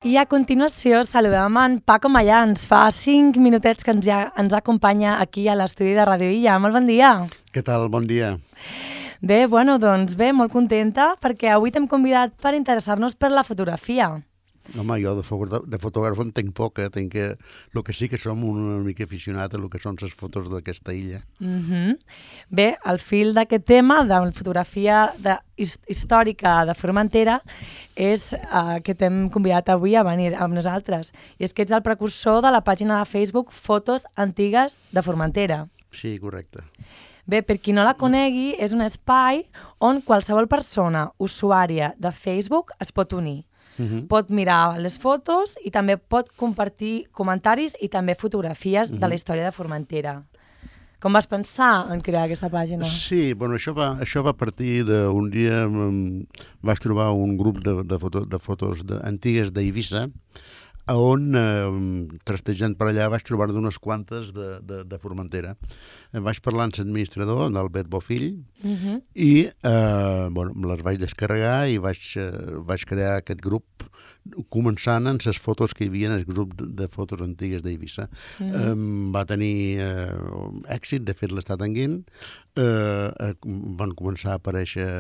I a continuació saludem en Paco Mayans. Fa 5 minutets que ens acompanya aquí a l'estudi de Radio Illa. Molt bon dia. Què tal? Bon dia. Bé, doncs bé, molt contenta perquè avui t'hem convidat per interessar-nos per la fotografia. Home, jo de fotògraf en tenc poc, tinc que... El que sí que som una mica aficionat a el que són les fotos d'aquesta illa. Bé, al fil d'aquest tema, de la fotografia històrica de Formentera, és que t'hem convidat avui a venir amb nosaltres. I és que ets el precursor de la pàgina de Facebook Fotos Antigues de Formentera. Sí, correcte. Bé, per qui no la conegui, és un espai on qualsevol persona usuària de Facebook es pot unir. Pot mirar les fotos i també pot compartir comentaris i també fotografies de la història de Formentera. Com vas pensar en crear aquesta pàgina? Sí, bueno, això va partir d'un dia... Vaig trobar un grup de fotos antigues d'Eivissa, on, trastejant per allà, vaig trobar d'unes quantes de Formentera. Vaig parlar amb l'administrador, d'Albert Bofill, i les vaig descarregar i vaig crear aquest grup, començant amb les fotos que hi havia en el grup de fotos antigues d'Eivissa. Va tenir èxit, de fet l'està tenint. Van començar a aparèixer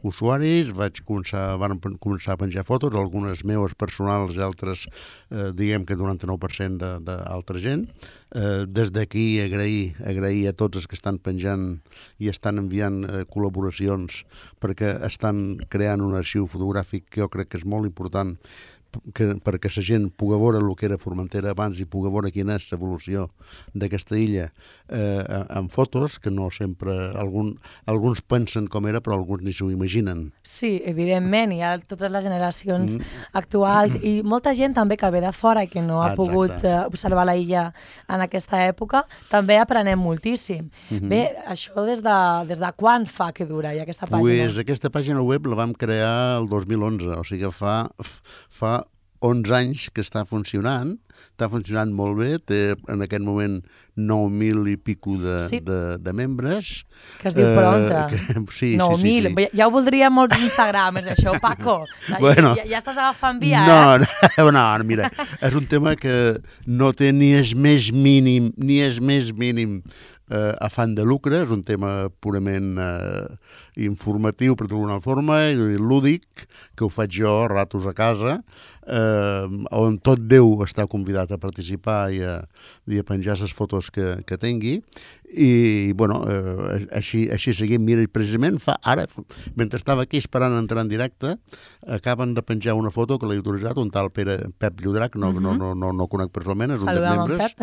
usuaris, van començar a penjar fotos, algunes meves personals i altres, diguem que 99% d'altra gent. Des d'aquí agrair a tots els que estan penjant i estan enviant col·laboracions perquè estan creant un arxiu fotogràfic que jo crec que és molt important perquè la gent pugui veure el que era Formentera abans i pugui veure quina és l'evolució d'aquesta illa en fotos, que no sempre... Alguns pensen com era, però alguns ni s'ho imaginen. Sí, evidentment, hi ha totes les generacions actuals i molta gent també que ve de fora i que no ha pogut observar la illa en aquesta època, també aprenem moltíssim. Bé, això des de quan fa que dura ja aquesta pàgina? Pues aquesta pàgina web la vam crear el 2011, o sigui que fa 11 anys que està funcionant molt bé, té en aquest moment 9.000 i pico de membres. Que es diu pronta. Sí, 9.000. Sí. Ja ho voldria molts Instagrams, això, Paco. Bueno, ja estàs agafant via, No, mira, és un tema que no té ni és més mínim afany de lucre, és un tema purament informatiu, per d'alguna forma, i lúdic, que ho faig jo a ratos a casa, on tot Déu està convidat a participar i a penjar les fotos que tingui. I, així seguim. Mira, precisament ara, mentre estava aquí esperant entrar en directe, acaben de penjar una foto que l'he autoritzat un tal Pep Llodrac, no conec personalment, és un dels membres,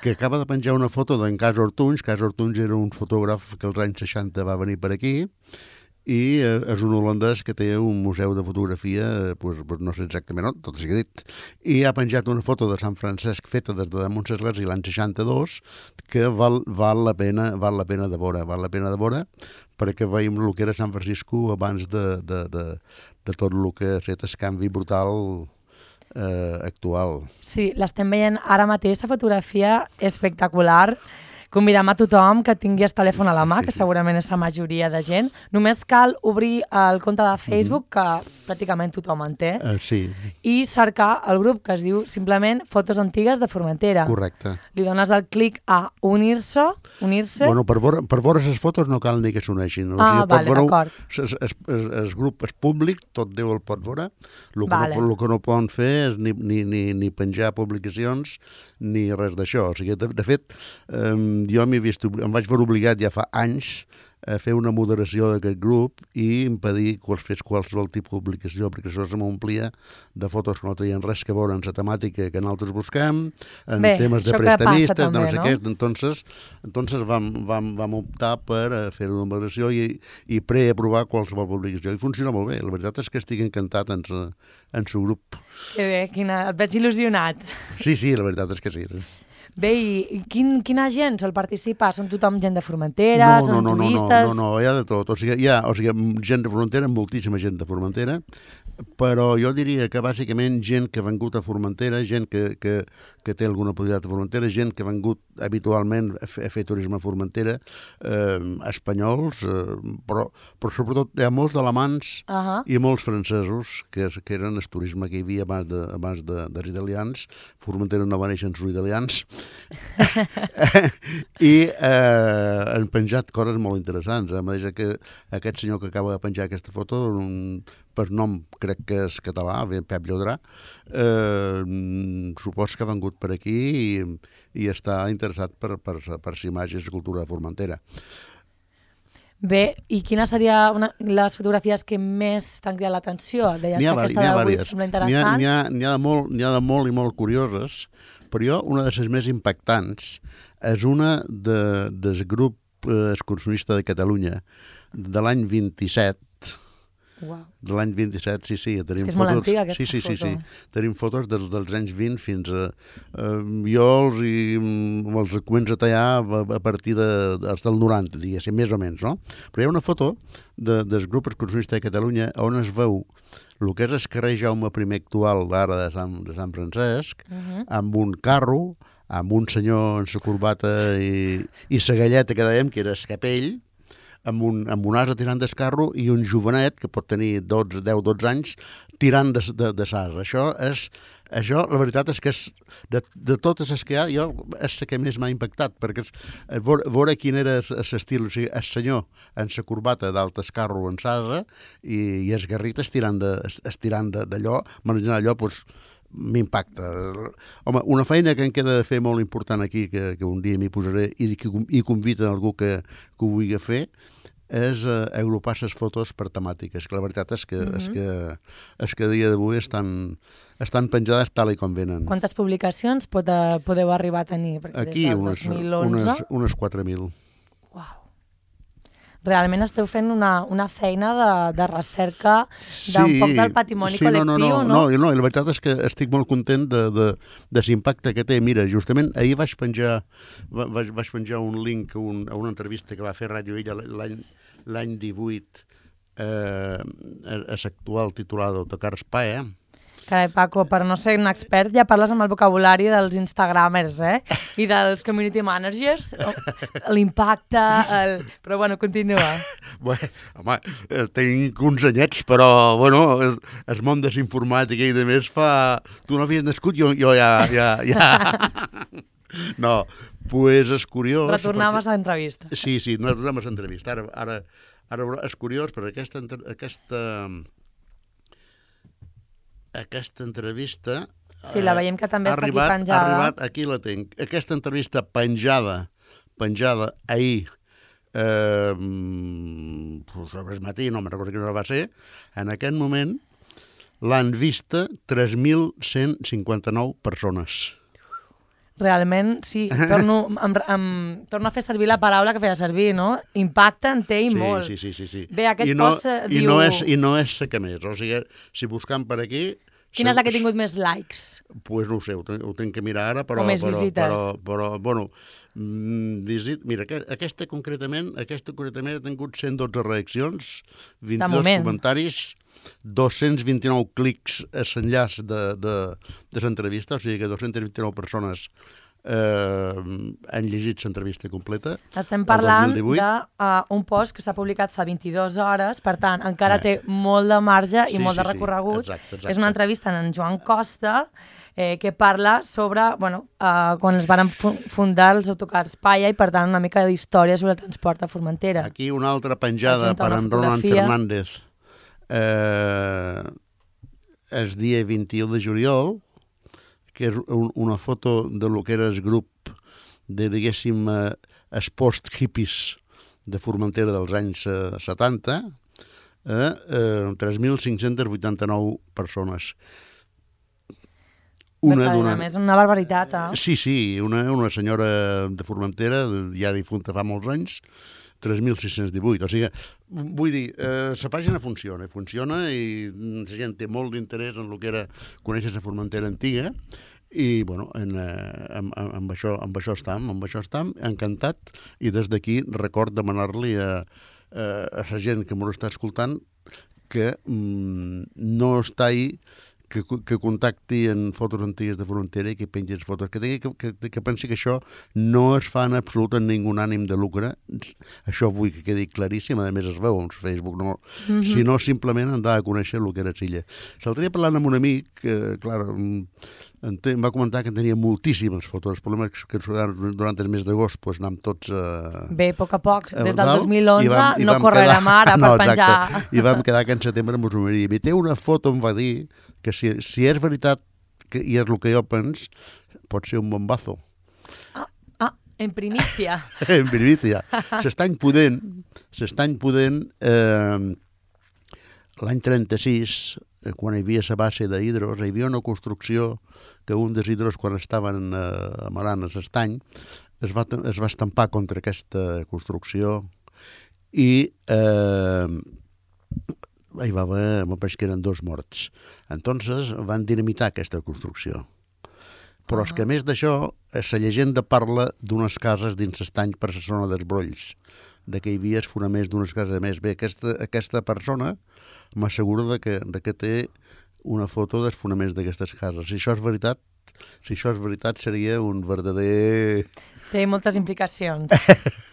que acaba de penjar una foto d'en Cas Ortunys. Cas Ortunys era un fotògraf que als anys 60 va venir per aquí, i és un holandès que té un museu de fotografia, no sé exactament on, tot sigui dit, i ha penjat una foto de Sant Francesc feta des de damunt l'església l'any 62 que val la pena de veure, perquè veiem el que era Sant Francisco abans de tot el que ha fet el canvi brutal actual. Sí, l'estem veient ara mateix, la fotografia espectacular. Convidem a tothom que tingui el telèfon a la mà, que segurament és la majoria de gent. Només cal obrir el compte de Facebook, que pràcticament tothom en té, i cercar el grup que es diu simplement Fotos Antigues de Formentera. Correcte. Li dones el clic a unir-se. Bueno, per veure les fotos no cal ni que s'uneixin. D'acord. El grup és públic, tot Déu el pot veure. El que no poden fer és ni penjar publicacions ni res d'això. O sigui, de fet, jo em vaig veure obligat ja fa anys a fer una moderació d'aquest grup i impedir que fes qualsevol tipus de publicació, perquè això se m'omplia de fotos que no tenien res que veure en la temàtica que nosaltres busquem, en temes de prestamistes, no sé què. Entonces vam optar per fer una moderació i preaprovar qualsevol publicació. I funciona molt bé. La veritat és que estic encantat en el grup. Que bé, et veig il·lusionat. Sí, la veritat és que sí. Bé, i quina gent sol participar? Són tothom gent de Formentera? Són turistes? No, hi ha de tot. O sigui, hi ha gent de Formentera, moltíssima gent de Formentera, però jo diria que bàsicament gent que ha vengut a Formentera, gent que té alguna possibilitat a Formentera, gent que ha vengut habitualment a fer turisme a Formentera, espanyols, però sobretot hi ha molts d'alemans i molts francesos, que eren el turisme que hi havia abans dels italians. Formentera no va néixer en els italians. I han penjat coses molt interessants. A més que aquest senyor que acaba de penjar aquesta foto, per nom crec que és català, Pep Llodrà, supos que ha vengut per aquí i està interessat per les imatges de cultura de Formentera. Bé, i quines serien les fotografies que més t'han cridat l'atenció? Deies que aquesta d'avui et sembla interessant. N'hi ha de molt i molt curioses, però jo una de les més impactants és una del grup excursionista de Catalunya de l'any 27. Wow. De l'any 27, sí. Tenim és que és fotos, molt antiga aquesta foto. Sí. Tenim fotos dels anys 20 fins a jo els començo a tallar a partir del 90, diguéssim, més o menys, no? Però hi ha una foto del grup excursionista de Catalunya on es veu el que és el carrer Jaume I actual d'ara de Sant Francesc, amb un carro, amb un senyor en sa corbata i sa galleta que dèiem, que era el capell, amb un ase tirant del carro i un jovenet que pot tenir 10-12 anys tirant de l'ase. Això, la veritat és que de totes les que hi ha, jo és la que més m'ha impactat, perquè veure quin era l'estil, o sigui, el senyor en sa corbata dalt el carro en l'ase i el garrit estirant d'allò, manejant allò, doncs, m'impacta. Home, una feina que em queda de fer molt important aquí, que un dia m'hi posaré i conviden algú que ho vulgui fer, és agrupar les fotos per temàtiques, que la veritat és que a dia d'avui estan penjades tal com venen. Quantes publicacions podeu arribar a tenir? Aquí unes 4.000. Realment esteu fent una feina de recerca d'un poc del patrimoni col·lectiu, no? No, i la veritat és que estic molt content de l'impacte que té. Mira, justament ahir vaig penjar un link a una entrevista que va fer Ràdio Illa l'any 18 a l'actual titular d'Autocar Spae. Carai, Paco, per no ser un expert ja parles amb el vocabulari dels instagramers, i dels community managers, l'impacte, però bueno, continua. Home, tinc uns anyets, però bueno, el món de la informàtica i de més fa... Tu no havies nascut, jo ja... No, pues és curiós... Retornaves a l'entrevista. Sí, no retornem a l'entrevista. Ara és curiós perquè aquesta entrevista... Sí, la veiem que també està aquí penjada. Ha arribat, aquí la tinc. Aquesta entrevista penjada ahir, sobre el matí, no me'n recordo quina hora va ser, en aquest moment l'han vista 3.159 persones. Realment, sí, torno a fer servir la paraula que feia servir, no? Impacte en té i molt. Sí. Bé, aquest post diu... I no és la que més, o sigui, si buscam per aquí... Quina és la que ha tingut més likes? Pues no ho sé, ho tinc que mirar ara, però... O més visites. Però bueno, mira, aquesta concretament ha tingut 112 reaccions, 22 comentaris, 229 clics a l'enllaç de l'entrevista, o sigui que 229 persones han llegit l'entrevista completa. Estem parlant d'un post que s'ha publicat fa 22 hores, per tant, encara té molt de marge i molt de recorregut. Exacte. És una entrevista en Joan Costa, que parla sobre quan es van fundar els autocars Paya i, per tant, una mica d'història sobre el transport a Formentera. Aquí una altra penjada per en Roland Fernández. El dia 21 de juliol, que és una foto de lo que era el grup de, diguéssim, els post-hippies de Formentera dels anys 70, 3.589 persones. És una barbaritat, Sí, una senyora de Formentera, ja difunta fa molts anys, 3.618. O sigui, vull dir, la pàgina funciona i la gent té molt d'interès en el que era conèixer la Formentera antiga I, bueno, amb això estam, encantat, i des d'aquí record demanar-li a la gent que m'ho està escoltant que no està ahí, que contacti en fotos antigues de Frontera i que pengi les fotos, que pensi que això no es fa en absolut en ningú ànim de lucre. Això vull que quedi claríssim, a més es veu en Facebook, no, sinó simplement anar a conèixer el que era Silla. L'altre dia parlant amb un amic, que, clar, em va comentar que tenia moltíssimes fotos. El problema és que durant el mes d'agost pues, anem tots Bé, a poc a poc, des del 2011 no correrà mare per penjar. I vam quedar que en setembre mos ho miria. I té una foto, em va dir, que si és veritat i és el que jo pens, pot ser un bombazo. En primícia. En primícia. S'estany podent, l'any 36, quan hi havia la base d'hidros, hi havia una construcció que un dels hidros, quan estaven amarant l'estany, es va estampar contra aquesta construcció i hi va haver, me pareix que eren 2 morts. Entonces van dinamitar aquesta construcció. Però és que a més d'això, la llegenda parla d'unes cases dins l'estany per la zona dels Brolls, de que hi havia els fonaments d'unes cases més. Bé, aquesta persona m'assegura que té una foto dels fonaments d'aquestes cases. Si això és veritat, seria un verdader... Té moltes implicacions,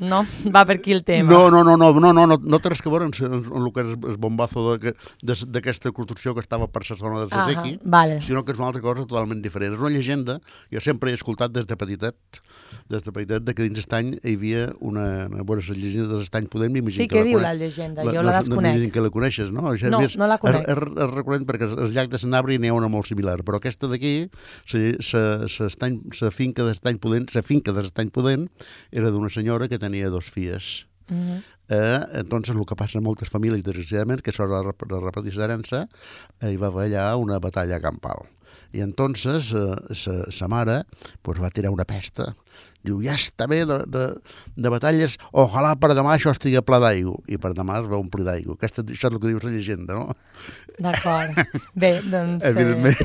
no? Va per aquí el tema. No té res que veure amb el que és el bombazo d'aquesta construcció que estava per la zona de Sasequi, sinó que és una altra cosa totalment diferent. És una llegenda, jo sempre he escoltat des de petitet, de que dins l'estany hi havia una llegenda de l'estany Podem. Sí, què diu la llegenda? Jo la desconec. M'imagino que la coneixes, no? No la conec. És recurrent perquè al llac de Sanabria n'hi ha una molt similar, però aquesta d'aquí, la finca de l'estany Podent, era d'una senyora que tenia 2 filles. Entonces, el que passa en moltes famílies, desgraciadament, que això la repeteix d'herència, hi va haver allà una batalla campal. I entonces, sa mare va tirar una pesta. Diu, ja està bé de batalles, ojalà per demà això estigui ple d'aigua. I per demà es va omplir d'aigua. Això és el que diu la llegenda, no? D'acord. Bé, doncs... Evidentment.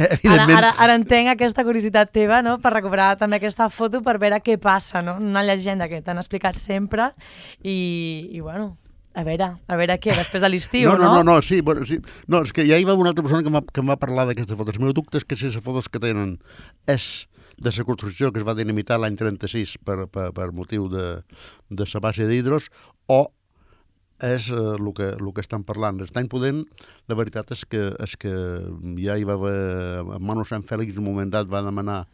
Ara entenc aquesta curiositat teva, no?, per recuperar també aquesta foto per veure què passa, no? Una llegenda que t'han explicat sempre i bueno... A veure què, després de l'estiu, no? No, sí. No, és que ja hi va una altra persona que em va parlar d'aquestes fotos. El meu dubte és que si les fotos que tenen és de la construcció que es va dinamitar l'any 36 per motiu de la base d'hidros, o és el que estan parlant. L'estany Podent, la veritat és que ja hi va haver... Manu Sant Fèlix en un moment dat va demanar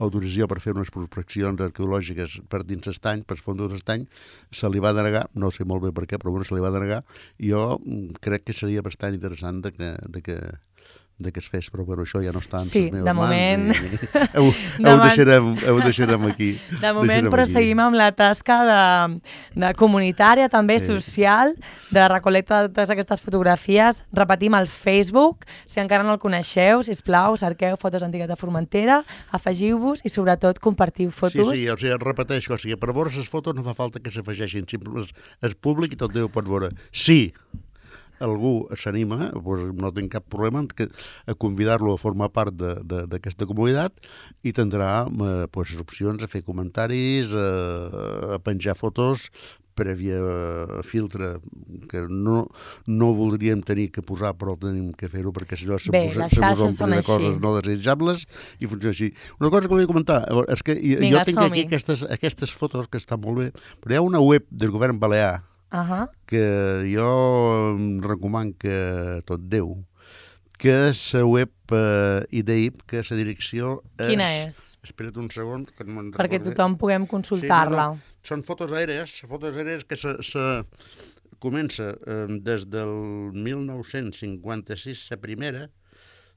autorització per fer unes prospeccions arqueològiques per dins l'estany, per fons de l'estany, se li va denegar, no sé molt bé per què, però bueno, se li va denegar, i jo crec que seria bastant interessant de que es fes, però això ja no està en les meves mans. Ho deixarem aquí. De moment proseguim amb la tasca de comunitària, també social, de recolecta de totes aquestes fotografies. Repetim el Facebook, si encara no el coneixeu, sisplau, cerqueu fotos antigues de Formentera, afegiu-vos i sobretot compartiu fotos. Sí, o sigui, repeteixo, per veure les fotos no fa falta que s'afegeixin, és públic i tot Déu pot veure. Sí, algú s'anima, no tinc cap problema a convidar-lo a formar part d'aquesta comunitat i tindrà les opcions a fer comentaris, a penjar fotos prèvia filtre que no voldríem tenir que posar, però tenim que fer-ho perquè si no se mos ompli de coses no desitjables i funciona així. Una cosa que volia comentar és que jo tinc aquí aquestes fotos que estan molt bé, però hi ha una web del govern balear que jo em recomano que tot Déu, que és la web IDEIP, que la direcció és... Quina és? Espera't un segon, que no me'n recordo. Perquè tothom puguem consultar-la. Són fotos aèries que se comença des del 1956, la primera.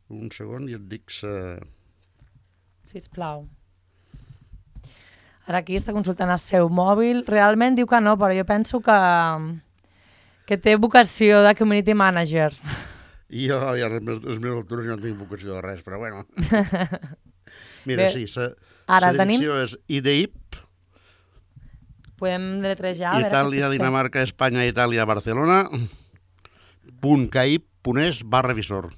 Un segon i et dic la... Sisplau. Ara aquí està consultant el seu mòbil. Realment diu que no, però jo penso que té vocació de community manager. Jo, ja a les meves altures no tinc vocació de res, però bueno. Mira, sí, la direcció és IDEIP. Podem letrejar. Itàlia, Dinamarca, Espanya, Itàlia, Barcelona. .caip.es/visor.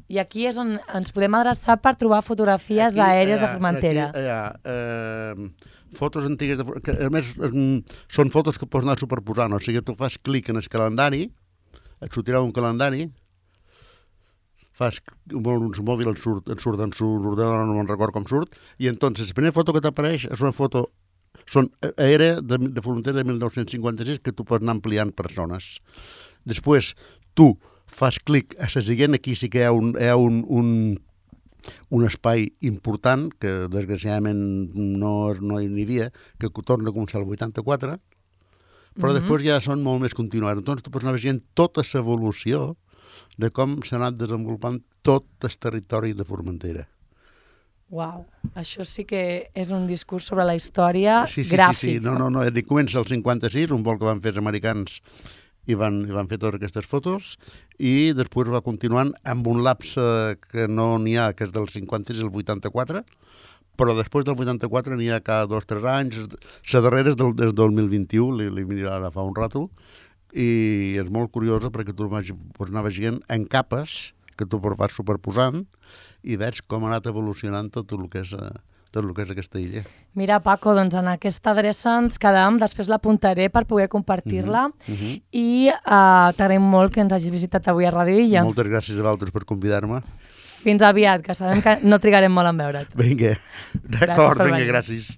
I aquí és on ens podem adreçar per trobar fotografies aèries de Formentera. Fotos antigues, que a més són fotos que pots anar superposant, o sigui, tu fas clic en el calendari, et sortirà un calendari, fas uns mòbils, et surt en l'ordenador, no me'n record com surt, i entonces la primera foto que t'apareix és una foto aèria de Formentera de 1956 que tu pots anar ampliant per zones. Després, tu fas clic a la següent, aquí sí que hi ha un espai important, que desgraciadament no hi havia, que torna a començar el 84, però després ja són molt més continuats. Doncs tu pots anar veient tota l'evolució de com s'ha anat desenvolupant tot el territori de Formentera. Uau, això sí que és un discurs sobre la història gràfic. Sí. No, comença el 56, un vol que van fer els americans i van fer totes aquestes fotos, i després va continuant amb un lapse que no n'hi ha, que és del 56 al 84, però després del 84 n'hi ha cada 2 o 3 anys, la darrera és del 2021, li mirarà ara fa un rato, i és molt curiosa perquè tu pots anar veient en capes que tu vas superposant i veig com ha anat evolucionant tot el que és aquesta illa. Mira, Paco, doncs en aquesta adreça ens quedem, després l'apuntaré per poder compartir-la i t'agraïm molt que ens hagis visitat avui a Ràdio Illa. Moltes gràcies a vosaltres per convidar-me. Fins aviat, que sabem que no trigarem molt en veure't. Vinga, d'acord, gràcies.